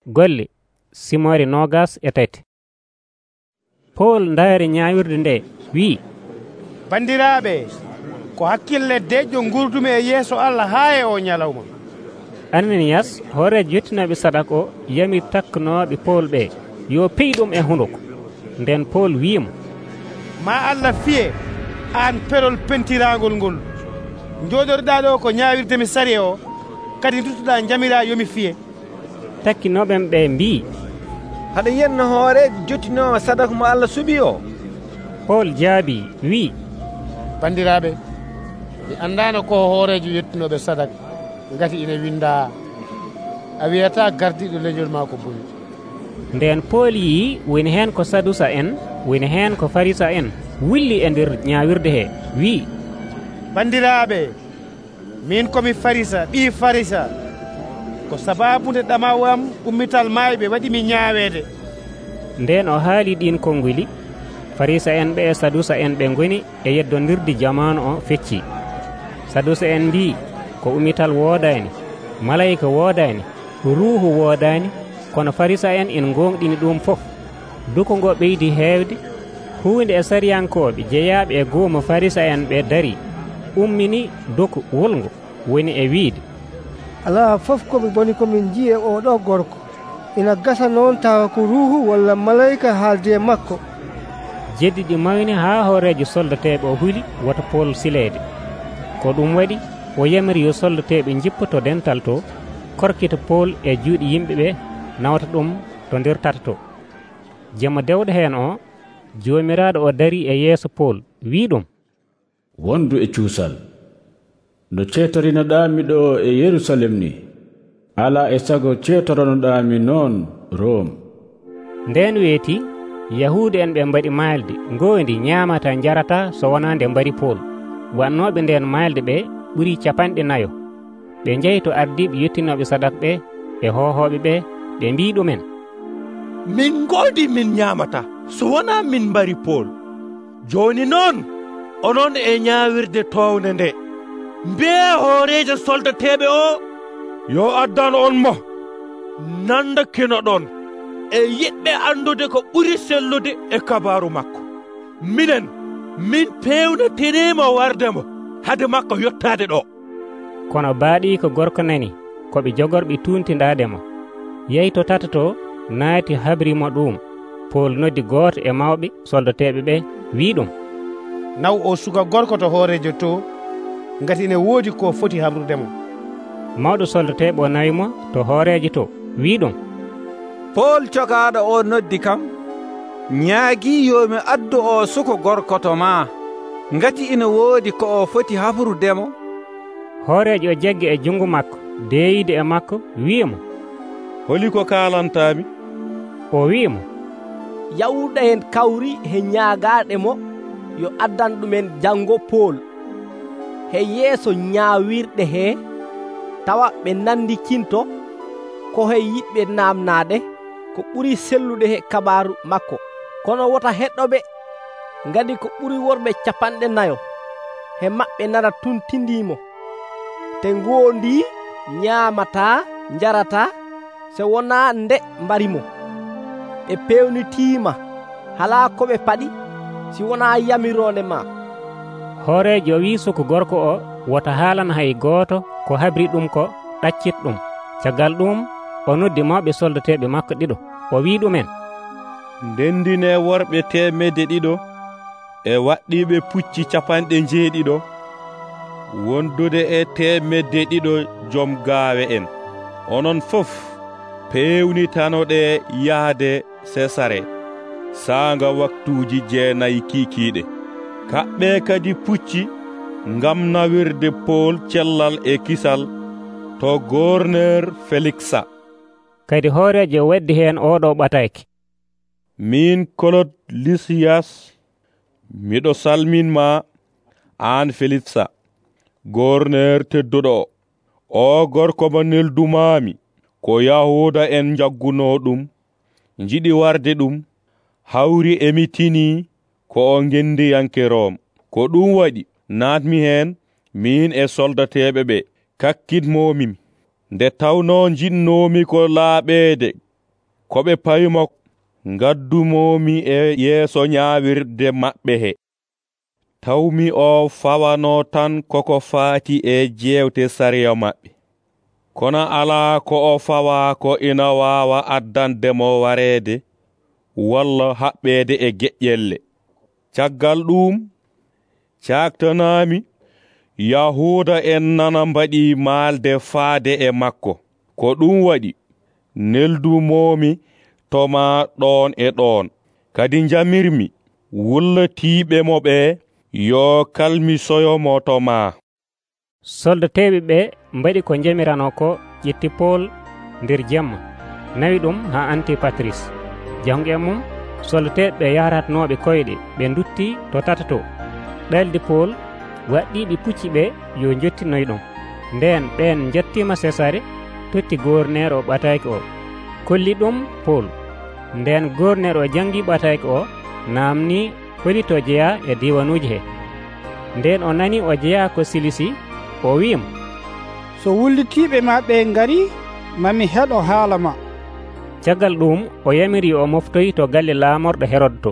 Golle Simore 23. Pol ndaari ñaawirde nde wi'i, bandiraaɓe, ko hakkille deƴƴo gurdumi e yeeso Allah haa e o ñalawma. Ananiyas hoorejo yettinoɓe sadak o yami takkanooɓe Pol ɓe yo pey ɗum e hunuko. Nden Pol wi'imo, ma Allah fiye aan perol pentiraangol ngol. Jooɗorɗaa ɗo ko ñaawirde mi sari o, kadi duttoɗaa jamiraa yomi fiye. Takkinooɓen ɓe mbi'i, haɗa yenno hoorejo jottinoowo sadaka mo Allah suɓi o? Pol jaabi wi'i, bandiraaɓe, mi anndaano ko hoorejo yettinooɓe sadak, ngati ina windaa, a wiyataa gardiiɗo leñol maa ko boni. Nden Pol yii woni heen ko Sadusa en, woni heen ko Farisa en wulli e nder ñaawirde hee, wi'i, bandiraaɓe, min komi Farisa, ɓii Farisa. Ko sabaabude ɗamaw am ummital maayɓe waɗimi ñaaweede. Nden o haali ɗin konnguli, Farisa en ɓe e Sadusa en ɓe ngoni e yeddondirde jamaanu o fecci. Sadusa en mbii ko ummital woodaani, malayika woodaani, ruuhu woodaani, kono Farisa en ina gonɗini ɗum fof. Duko ngo ɓeydi heewde, huunde e sariyankooɓe jeyaaɓe e goomo Farisa en ɓe darii, ummini duko wulngo, woni e wiide, alaa fof komi boni komin jiyi e oɗo gorko, ina gasa noon tawa ko ruuhu walla malayika haaldi e makko. Jeddi ɗi mawni haa hoorejo soldateeɓe o huli woto Pol sileede. Ko ɗum waɗi o yamiri yo soldateeɓe jippoto dental to, korkita Pol e juuɗe yimɓe ɓe, nawta ɗum to nder tata to. Jemma dewɗo heen o, joomiraaɗo o darii e yeeso Pol, wii ɗum, wondu e cuusal, no ceetorinoɗaami ɗo e Yerusalem ni, alaa e sago ceetoronoɗaami noon Rom. Nden weeti Yahuude en ɓe mbaɗi maalde ngoondi ñaamata jarata so wonaa nde mbari Pol. Wannooɓe nden maalde ɓe ɓuri 40. Ɓe njehi to ardiiɓe yettinooɓe sadak ɓe e hohooɓe ɓe, ɓe mbii ɗumen, min ngoodi min ñaamata so wonaa min mbari Pol. Jooni noon onon e ñaawirde toowne nde, mbi'e hooreejo soldateeɓe o yo addan on mo nandakino ɗon e yiɗɓe andude ko ɓuri sellude e kabaaru makko. Min peewnatirimo wardemo hade makko yottaade ɗo. Kono baaɗii ko gorko nani ko ɓe jogorɓe tuuntindaademo. Yehi to tata to naati habrimo ɗum. Pol noddi gooto e mawɓe soldateeɓe ɓe wii ɗum, naw o suka gorko to hoorejo to, ngati ine woodi ko foti habrudemo. Mawɗo soldateeɓe o nawimo to hoorejo to, wii ɗum, Pol cokaaɗo o noddi kam, ñaagii yo mi addu o suka gorko to maa, ngati ina woodi ko o foti hafrudemo. Hoorejo o jaggi e junngo makko, deeyide e makko, wi'imo, holi ko kaalantaami? O wi'imo, yawuɗa hen kawri he ñaagaaɗe mo yo addan ɗumen janngo Pol he yeeso ñaawirɗe hee, tawa ɓe nandikinto ko he yiɗɓe naamnaade ko ɓuri sellude he kabaaru makko. Kono wota heɗɗoɓe ngadi ko ɓuri worɓe 40 he maɓɓe nana tuntindiimo, te ngoondi ñaamataa njarataa so wonaa nde mbarimo. Ɓe pewnitiima halaa ko ɓe paɗi si wonaa yamiroonde ma. Hoorejo wii suka gorko o wota haalana hay gooto ko habri ɗum ko ɗaccit ɗum. Caggal ɗum o noddi mawɓe soldateeɓe makko ɗiɗo, o wii ɗumen, ndendine worɓe 200 e waɗɗiiɓe pucci 70 wondude e 200 joom gaawe en. Onon fof pewnitanoɗe yahde Sesare saanga waktuuji 9 kiikiiɗe. Kaɓɓe kadi pucci ngam nawirde Pol cellal e kisal to gouverneur Feliksa. Kadi hoorejo waddi heen oɗo ɓatayke, min Kolod Lisiyas miɗo salminma aan Feliksa, gouverneur tedduɗo o gorko mo neldumaami ko Yahuuda en jagguno ɗum, jiɗi warde ɗum, hawri emitini ko o gendiyanke Rom. Ko ɗum waɗi naatmi heen min e soldateeɓe ɓe kakkitmomimi, nde tawno jinnoomi ko laaɓeede ko ɓe payimo ngaddumomi e yeeso ñaawirde maɓɓe he. Tawmi o fawano tan koko faati e jewte sariya maɓɓe. Kono alaa ko o fawa ko ina waawa addandemo wareede walla haɓɓeede e geƴƴelle. Caggal ɗum caktanami Yahuuda en nana mbaɗi maalde faade e makko. Ko ɗum waɗi neldumomi toma ɗon e ɗon. Kadi jamirmi wullatiiɓemo ɓe yo kalmisoyomo toma. soldateɓe ɓe mbaɗi ko jamirano ko, ƴetti Pol nder jemma, nawi ɗum ha Antipatris. Jangu e mum soldateɓe ɓe yaratnoɓe koyɗe ɓe dutti to tatato. ɗaldi Pol waɗɗiɓe pucci ɓe yo jottinoy ɗum. Nden ɓen jattima Sesare totti gornere o ɓataki o, kolli ɗum Pol. Nden gornere o jangi ɓataki o, namni holito jeeya e diwanuji he. Nden o nani o jeeya ko Silisi, o wi'imo, so wullitiɓe ma ɓe ngari, mami heɗo haala ma. caggal ɗum o yamiri o moftoyi to galle laamorɗo Herod to.